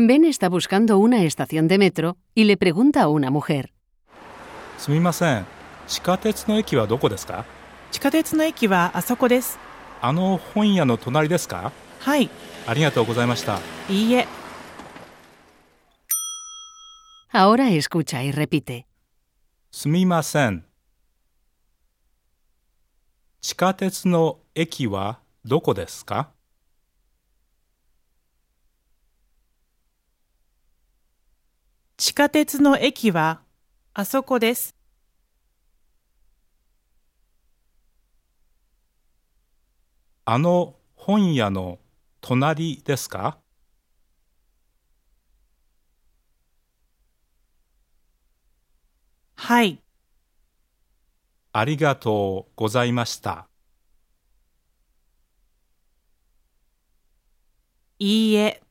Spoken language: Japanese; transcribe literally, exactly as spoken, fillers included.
Ben está buscando una estación de metro y le pregunta a una mujer. すみません、地下鉄の駅はどこですか？地下鉄の駅はあそこです。あの本屋の隣ですか？はい。ありがとうございました。いいえ。Ahora escucha y repite. すみません。地下鉄の駅はどこですか？地下鉄の駅はあそこです。あの本屋の隣ですか？はい。ありがとうございました。いいえ。